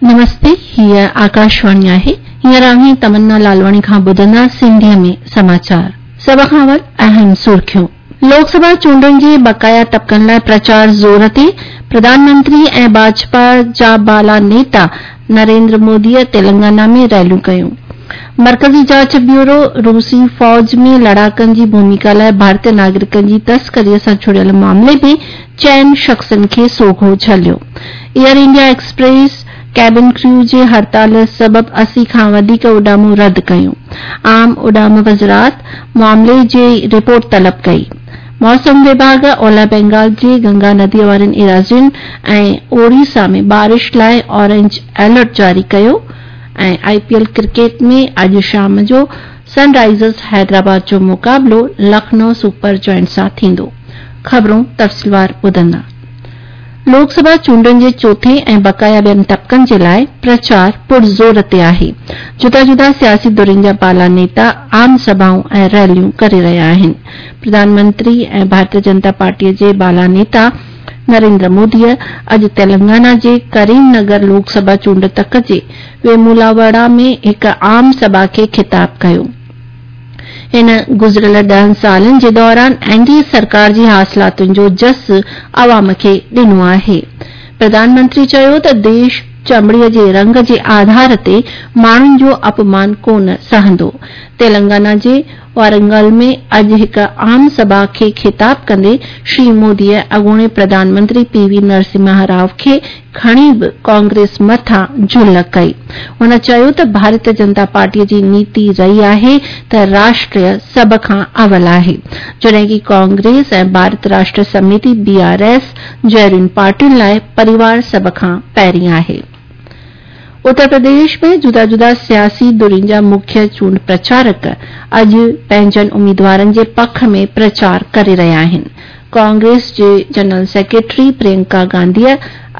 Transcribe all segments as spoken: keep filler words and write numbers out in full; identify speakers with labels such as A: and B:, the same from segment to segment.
A: नमस्ते, हीअ आकाशवाणी आहे। हींअर अव्हीं तमन्ना लालवाणी खां ॿुधंदा सिंधीअ में समाचार। सभ खां अवल अहम सुर्खियूं। लोकसभा चूंडुनि जे बकाया तबकनि लाइ प्रचार ज़ोर ते। प्रधानमंत्री ऐं भाजपा जा बाला नेता नरेंद्र मोदीअ तेलंगाना में रैलियूं कयूं। मर्कज़ी जांच ब्यूरो रूसी फ़ौज में लड़ाकनि जी भूमिका लाइ भारतीय नागरिकनि जी तस्करीअ सां जुड़ियल मामले में चइनि शख़्सनि खे सोघो झलियो। Air India Express cabin crew जे हड़ताल सबबि असी खां वधीक उॾामूं रद्द कयूं। आम उॾाम वज़ारत मामले जी रिपोर्ट तलब कई। मौसम विभाग ओलह बंगाल जे गंगा नदीअ वारनि इराज़ियुनि ऐं ओडिशा में बारिश लाइ ऑरेंज अलर्ट जारी कयो। ऐं आईपीएल क्रिकेट में अॼु शाम जो सनराइज़र्स हैदराबाद जो मुक़ाबिलो लखनऊ सुपर जायंट्स सां थींदो। ख़बरूं तफ़सीलवार ॿुधंदा। लोकसभा चूंडुनि जे चोथें ऐं बकाया ॿियनि तबकनि जे लाइ प्रचार पुरज़ोर ते आहे। जुदा जुदा सियासी धुरियुनि जा बाला नेता आम सभाऊं ऐं रैलियूं करे रहिया आहिनि। प्रधानमंत्री ऐं भारतीय जनता पार्टीअ जे बाला नेता नरेंद्र मोदीअ अॼु तेलंगाना जे करीमनगर लोकसभा चूंड तक जे वेमुलावाड़ा में हिकु आम सभा खे ख़िताब कयो। हिन गुज़िरियल ॾहनि सालनि जे दौरान एनडीए सरकार जी हासिलातुनि जो जस अवाम खे ॾिनो आहे। प्रधानमंत्री चयो त देश चमड़ीअ जे रंग जे आधार ते माण्हुनि जो अपमान कोन सहंदो। तेलंगाना जे वारंगल में अॼु हिकु आम सभा खे ख़िताब कंदे श्री मोदीअ अॻूणे प्रधानमंत्री पीवी नरसिम्हा राव खे खणी बि कांग्रेस मथां झुल कई। हुन चयो त भारतीय जनता पार्टीअ जी नीति रही आहे त राष्ट्र सभ खां अवल आहे, जॾहिं की कांग्रेस ऐं भारत राष्ट्र समिति बीआरएस जहिड़ियुनि पार्टियुनि लाइ परिवार सभ खां पहिरीं आहे। उत्तर प्रदेश में जुदा जुदा सियासी धुरियुनि जा मुख्य चूंड प्रचारक अॼु पंहिंजनि उम्मीदवारनि जे पख में प्रचार करे रहिया आहिनि। कांग्रेस जे जनरल सेक्रेटरी प्रियंका गांधीअ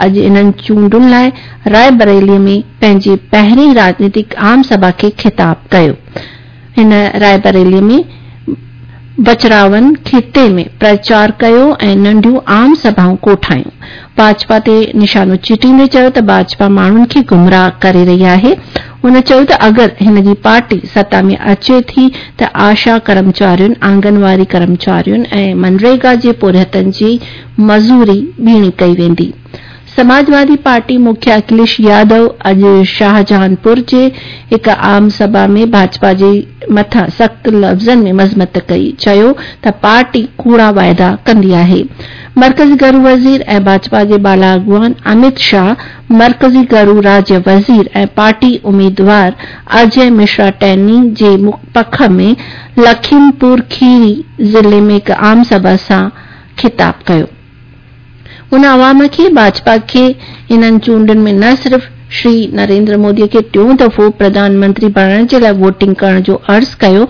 A: अॼु इन्हनि चूंडुनि लाइ रायबरेली में पंहिंजी पहिरीं राजनीतिक आम सभा खे ख़िताब कयो। हिन रायबरेली में बचरावन खिते में प्रचार कयो ऐं नंढियूं आम सभाऊं कोठायूं। भाजपा ते निशानो चिटींदे चयो त भाजपा माण्हुनि खे गुमराह करे रही आहे। हुन चयो त अगरि हिन जी पार्टी सत्ता में अचे थी त आशा कर्मचारियुनि, आंगनवाड़ी कर्मचारियुनि ऐं मनरेगा जे पोरियतनि जी मज़ूरी ॿीणी कई वेंदी। समाजवादी पार्टी मुख्य अखिलेश यादव अॼु शाहजहांपुर जे हिकु आम सभा में भाजपा जे मथां सख़्त लफ़्ज़नि में मज़मत कई। चयो त पार्टी कूड़ा वाइदा कंदी आहे। मर्कज़ी घरू वज़ीर ऐं भाजपा जे बाला अॻुवान अमित शाह, मर्कज़ी घरू राज्य वज़ीर ऐं पार्टी उम्मीदवार अजय मिश्रा टैनी जे पख में लखीमपुर खीरी ज़िले में हिकु आम सभा सां ख़िताब कयो। हुन अवाम खे भाजपा खे इन्हनि चूंडुनि में न सिर्फ़ श्री नरेंद्र मोदीअ खे टियों दफ़ो प्रधानमंत्री बणाइण जे लाइ वोटिंग करण जो अर्ज़ कयो,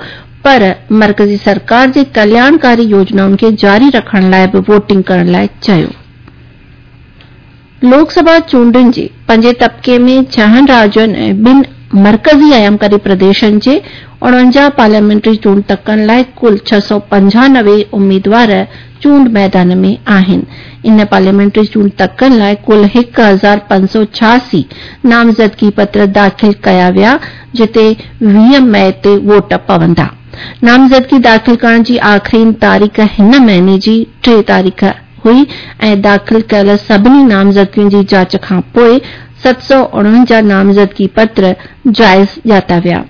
A: पर मर्कज़ी सरकार जे कल्याणकारी योजनाउनि खे जारी रखण लाइ बि वोटिंग करण लाइ चयो। लोकसभा चूंडुनि जे पंजे तबके में छहनि राज्यनि ऐं ॿिनि मर्कज़ी आयामकारी प्रदेशनि जे उणवंजाह पार्लियामेंट्री चूंड तकनि लाइ कुल छह सौ पंजानवे उम्मीदवार चूंड मैदान में आहिनि। इन पार्लियामेंट्री चूंड तकनि लाइ कुल हिकु हज़ार पंज सौ छासी नामज़दगी पत्र दाख़िल कया विया, जिते वीह मई ते वोट पवंदा। नामज़दगी दाख़िल करण जी आख़िरी तारीख़ हिन महीने जी टे तारीख़ हुई ऐं दाख़िल कयल सभिनी नामज़दगियुनि जी जांच खां पोइ सत सौ उणवंजाह नामज़दगी पत्र जाइज़ ॼाता विया।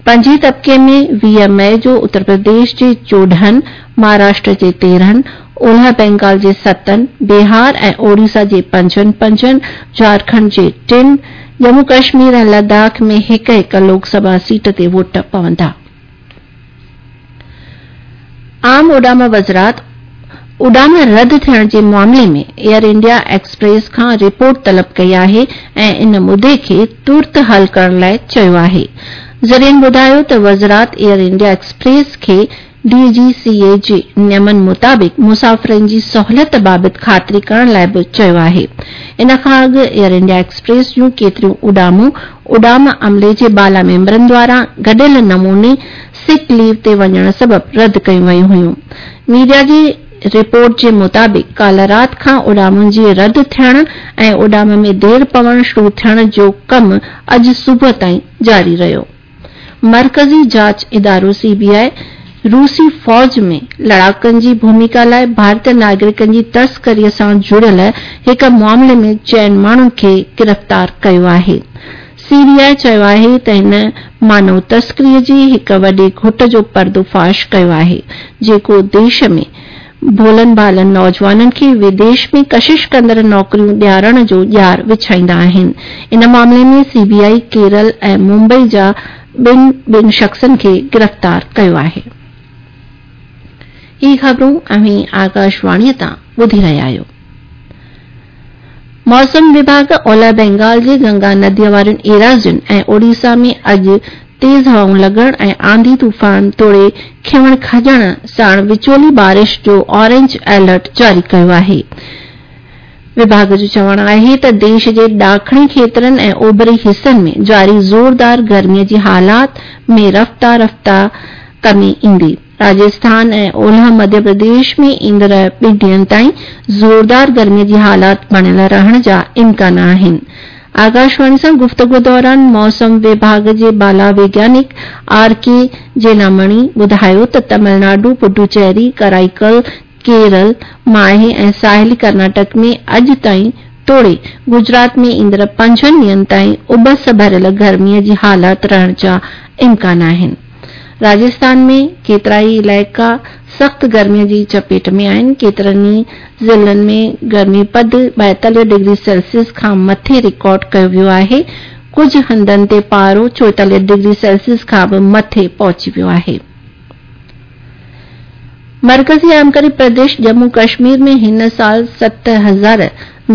A: पंजे तबके में वीह मई जो उत्तर प्रदेश जे चोॾहनि, महाराष्ट्र जे तेरहनि, ओलह बंगाल जे सतनि, बिहार ऐं ओडिशा जे पंजनि पंजनि, झारखंड जे टिनि, जम्मू कश्मीर ऐं लद्दाख में हिकु हिकु लोकसभा सीट ते वोट पवंदा। आम उॾाम वज़ारत उॾाम रद्द थियण जे मामले में एयर इंडिया एक्सप्रेस खां रिपोर्ट तलब कई आहे ऐं इन मुद्दे खे तुर्त हल करण लाइ चयो आहे। ज़रियनि ॿुधायो त वज़ारत एयर इंडिया एक्सप्रेस खे डीजीसीए जे नियमनि मुताबिक़ मुसाफ़िरनि जी सहूलियत बाबति ख़ातिरी करण लाइ बि चयो आहे। इन खां अॻु एयर इंडिया एक्सप्रेस जूं केतिरियूं उॾामूं उॾाम अमले जे बाला मेंबरनि द्वारा गॾियल नमूने सिक लीव ते वञण सबबि रद्द कयूं वयूं हुयूं। मीडिया जे رپورٽ جي مطابق ڪالهه رات کان اڏامن جي رد ٿيڻ ۽ اڏام ۾ دير پوڻ شروع ٿيڻ جو ڪم اڄ صبح تائين جاري رهيو. مرڪزي جاچ ادارو سي بي آء روسي فوج ۾ لڙاڪن جي ڀوميڪا لاءِ ڀارتي ناگرڪن جي تسڪري سان جڙيل هڪ معاملي ۾ چئن ماڻهن کي گرفتار ڪيو آهي. سي بي آء چيو آهي ته هن مانو تسڪري جي هڪ وڏي گهٽ جو پردو فاش ڪيو آهي، جيڪو ديش ۾ ڀولن ڀالن نوجوانن کي وديش ۾ ڪشش ڪندڙ نوڪريون ڏيارڻ جو ڄار وڇائيندا آهن. ان معاملي ۾ سي بي آء ڪيرل ۽ ممبئي جا ٻن ٻن شخصن کي گرفتار ڪيو آهي. هي خبرون اوهين آڪاشواڻي تان ٻڌي رهيا آهيو. موسم وڀاڳ اولهه بينگال جي گنگا نديءَ وارين ايراضين ۽ اوڙيسا ۾ اڄ تيز هوائون لڳڻ ۽ آنڌي طوفان توڙي کنوڻ کڄڻ ساڻ وچولي بارش جو اورينج الرٽ جاري ڪيو آهي. وڀاڳ جو چوڻ آهي ته ديش جي ڏاکڻي کيترن ۽ اوڀري حصن ۾ جاري زوردار گرميءَ جي حالات ۾ رفتا رفتا ڪمي ايندي. راجسٿان ۽ اولهه مڌيه پرديش ۾ ايندڙ ٻن ڏينهن تائين زوردار گرميءَ جي حالات بڻيل رهڻ جا امڪان آهن. آڪاشواڻي سان گفتگو دوران موسم وڀاڳ جي بالا ويگيانڪ آر ڪي جينامڻي ٻڌايو ته تامل ناڊو، پڊوچيري، ڪرائيڪل، ڪيرل، ماهي ۽ ساحلي ڪرناٽڪ ۾ اڄ تائين توڙي گجرات ۾ ايندڙ پنجن ڏينهن تائين اٻس ڀريل گرميءَ جي حالات رهڻ جا امڪان آهن. راجسٿان ۾ ڪيترائي علائقا سخت گرميءَ جي چپيٽ ۾ آهن. ڪيترن ئي ضلعن ۾ گرمي پد ٻائيتاليهه ڊگري سيلسيس کان مٿي رڪارڊ ڪيو ويو آهي. ڪجهه هنڌن تي پارو چوئيتاليهه ڊگري سيلسيس کان به مٿي پهچي ويو آهي. مرڪزي آرامڪاري پرديش ڄمون ڪشمير ۾ هن سال ست هزار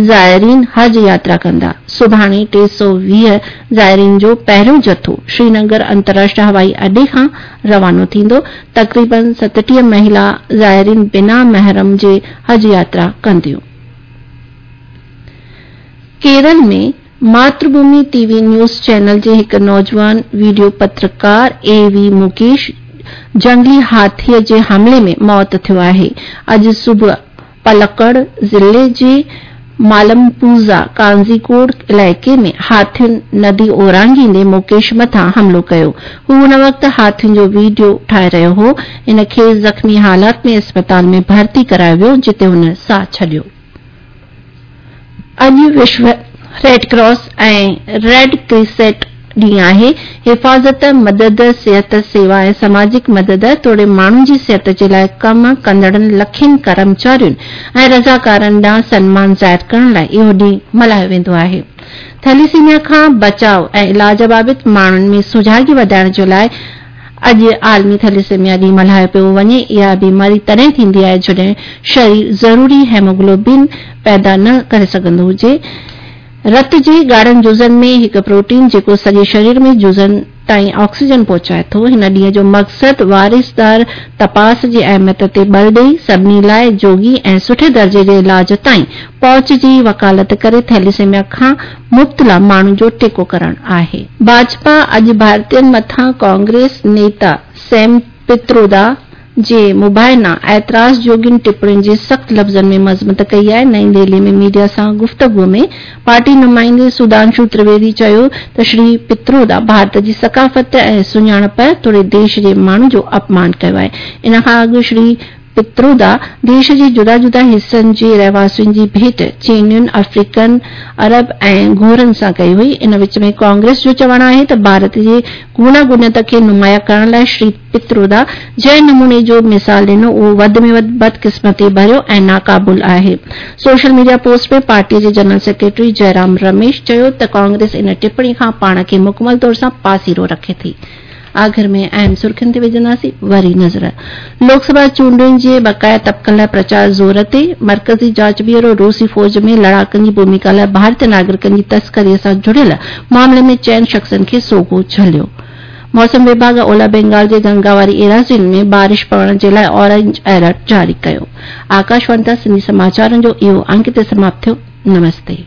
A: زائرين حج ياترا ڪندا. سڀاڻي ٽي سؤ ويهه زائرين جو پهريون جٿو شرينگر انترراشٽريه هوائي اڏي کان روانو ٿيندو. تقريبن ستٽيهه مهلا زائرين بنا محرم جي حج ياترا ڪنديون. ڪيرل ۾ ماتر ڀومي ٽي وي نيوز چينل جي هڪ نوجوان وڊيو پترڪار اي وي مڪيش جنگلي هاٿيءَ جي حملي ۾ موت ٿيو آهي. اڄ صبح پلڪڙ ضلعي جي مالمپوزا ڪانزيڪوڊ علائقي ۾ هاٿين ندي اورانگهيندي مڪيش مٿان حملو ڪيو. هو ان وقت هاٿين جو وڊيو ٺاهي رهيو هو. هن کي زخمي حالات ۾ اسپتال ۾ ڀرتي ڪرايو ويو، جتي هن ساهه ڇڏيو. اڄ وشو ريڊ ڪراس ۽ ريڊ ڪريسينٽ ڏينهن آهي. حفاظت، مدد، صحت سيوا ۽ سماجڪ مدد توڙي ماڻهن جي صحت جي لاءِ ڪم ڪندڙن لکين ڪرمچارين ۽ رضاڪارن ڏانهن سنمان ظاهر ڪرڻ لاءِ اهو ڏينهن ملهايو ويندو آهي. ٿيليسيميا کان بچاءُ ۽ علاج بابت ماڻهن ۾ سجاڳي وڌائڻ جي لاءِ اڄ عالمي ٿيليسيميا ڏينهن ملهايو پيو وڃي. اها بيماري تڏهن ٿيندي آهي جڏهن شرير ضروري هيموگلوبن پيدا نه ڪري سگهندو هجي. رت جي ڳاڙهن جزن ۾ هڪ پروٽين جيڪو سڄي شرير ۾ جزن تائين آڪسيجن پهچائي ٿو. هن ڏينهن جو مقصد وارثدار تپاس جي اهميت تي بل ڏئي سڀني لاءِ جوڳي ۽ سٺي درجي جي علاج تائين پهچ جي وڪالت ڪري ٿيليسيميا کان مبتلا ماڻهن جو ٽيڪو ڪرڻ آهي. ڀاجپا اڄ ڀارتين مٿان ڪانگريس نيتا سيم پترودا جي مبينا اعتراض جوڳين ٽپڻين جي سخت لفظن ۾ مذمت ڪئي آهي. نئين دهلي ۾ ميڊيا سان گفتگو ۾ پارٽي نمائندي سڌانشو ترويدي چيو ته شري پترودا ڀارت جي ثقافت ۽ سڃاڻپ توڙي ديش جي ماڻهن جو اپمان ڪيو آهي. ان کان اڳ شري پترودا ديش جي جدا جدا حصن جي رهواسين جي ڀيٽ چينين، آفريڪن، عرب ۽ گورن سان ڪئي هئي. ان وچ ۾ ڪانگريس جو چوڻ آهي ته ڀارت جي گوناگونيت کي نمايان ڪرڻ لاءِ شري پترودا جنهن نموني جو مثال ڏنو اهو وڌ ۾ وڌ بدقسمتي ڀريو ۽ ناقابل آهي. سوشل ميڊيا پوسٽ ۾ پارٽيءَ جي جنرل سيڪريٽري جئرام رميش چيو ته ڪانگريس ان ٽپڻي کان پاڻ کي مڪمل طور سان پاسيرو رکي ٿي. آخر ۾ اهم سرخين تي وجهنداسين وري نظر. لوڪ سڀا چونڊن جي بقايا طبقن لاءِ پرچار زور تي. مرڪزي جاچ بيورو روسي فوج ۾ لڙاڪن جي ڀوميڪا لاءِ ڀارتي ناگرڪن جي تسڪري سان جڙيل معاملي ۾ چئن شخصن کي سوگهو جهليو. موسم وڀاڳ اولهه بينگال جي گنگا واري ايراضين ۾ بارش پوڻ جي لاءِ اورينج الرٽ جاري ڪيو. آڪاشواڻي تان سنڌي سماچارن جو اهو انڪ هتي سماپت ٿيو. نمستي.